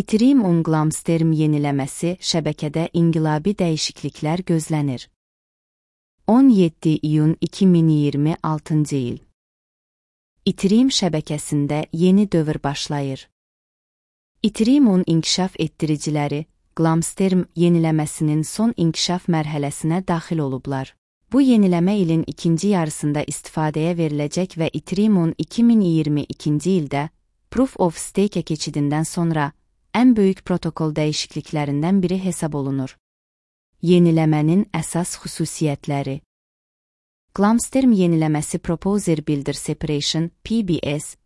Ethereum Glamstorm yeniləməsi şəbəkədə inqilabi dəyişikliklər gözlənir. 17 iyun 2026 il. Ethereum şəbəkəsində yeni dövr başlayır. Ethereum inkişaf etdiriciləri Glamstorm yeniləməsinin son inkişaf mərhələsinə daxil olublar. Bu yeniləmə ilin ikinci yarısında istifadəyə veriləcək və Ethereum 2022 ildə Proof of Stake keçidindən sonra ən böyük protokol dəyişikliklərindən biri hesab olunur. Yeniləmənin əsas xüsusiyyətləri. Glamstorm yeniləməsi Proposer Builder Separation (PBS)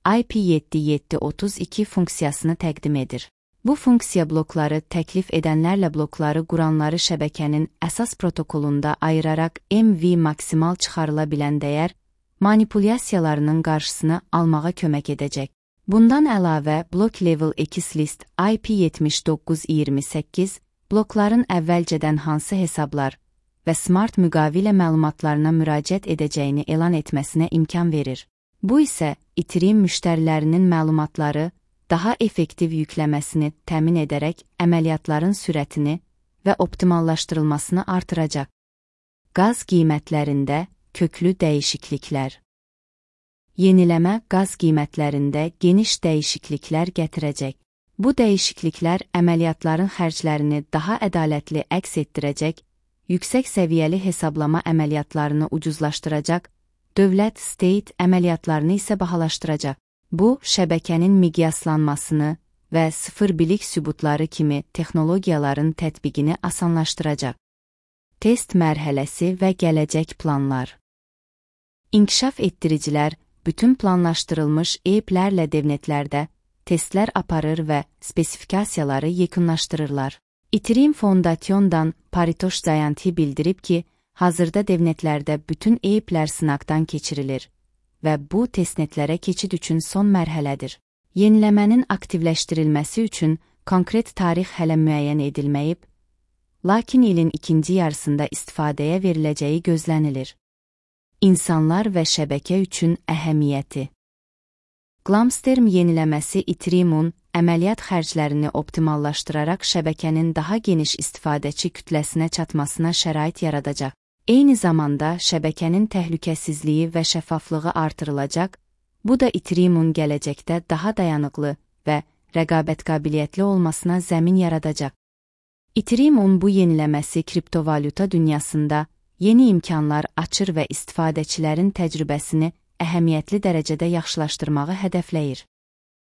IP7732 funksiyasını təqdim edir. Bu funksiya blokları təklif edənlərlə blokları quranları şəbəkənin əsas protokolunda ayıraraq MV maksimal çıxarıla bilən dəyər manipulyasiyalarının qarşısını almağa kömək edəcək. Bundan əlavə, Block Level X-List IP7928 blokların əvvəlcədən hansı hesablar və smart müqavilə məlumatlarına müraciət edəcəyini elan etməsinə imkan verir. Bu isə Ethereum müştərilərinin məlumatları daha effektiv yükləməsini təmin edərək əməliyyatların sürətini və optimallaşdırılmasını artıracaq. Qaz qiymətlərində köklü dəyişikliklər. Yeniləmə qaz qiymətlərində geniş dəyişikliklər gətirəcək. Bu dəyişikliklər əməliyyatların xərclərini daha ədalətli əks etdirəcək, yüksək səviyyəli hesablama əməliyyatlarını ucuzlaşdıracaq, dövlət-state əməliyyatlarını isə bahalaşdıracaq. Bu, şəbəkənin miqyaslanmasını və sıfır bilik sübutları kimi texnologiyaların tətbiqini asanlaşdıracaq. Test mərhələsi və gələcək planlar. İnkişaf etdiricilər bütün planlaşdırılmış EIP-lərlə devnetlərdə testlər aparır və spesifikasiyaları yekunlaşdırırlar. Ethereum Foundation'dan Paritosh Zayanti bildirib ki, hazırda devnetlərdə bütün EIP-lər sınaqdan keçirilir və bu testnetlərə keçid üçün son mərhələdir. Yeniləmənin aktivləşdirilməsi üçün konkret tarix hələ müəyyən edilməyib, lakin ilin ikinci yarısında istifadəyə veriləcəyi gözlənilir. İnsanlar və şəbəkə üçün əhəmiyyəti. Glamstorm yeniləməsi Ethereum əməliyyat xərclərini optimallaşdıraraq şəbəkənin daha geniş istifadəçi kütləsinə çatmasına şərait yaradacaq. Eyni zamanda şəbəkənin təhlükəsizliyi və şəffaflığı artırılacaq, bu da Ethereum gələcəkdə daha dayanıqlı və rəqabət qabiliyyətli olmasına zəmin yaradacaq. Ethereum bu yeniləməsi kriptovalyuta dünyasında yeni imkanlar açır və istifadəçilərin təcrübəsini əhəmiyyətli dərəcədə yaxşılaşdırmağı hədəfləyir.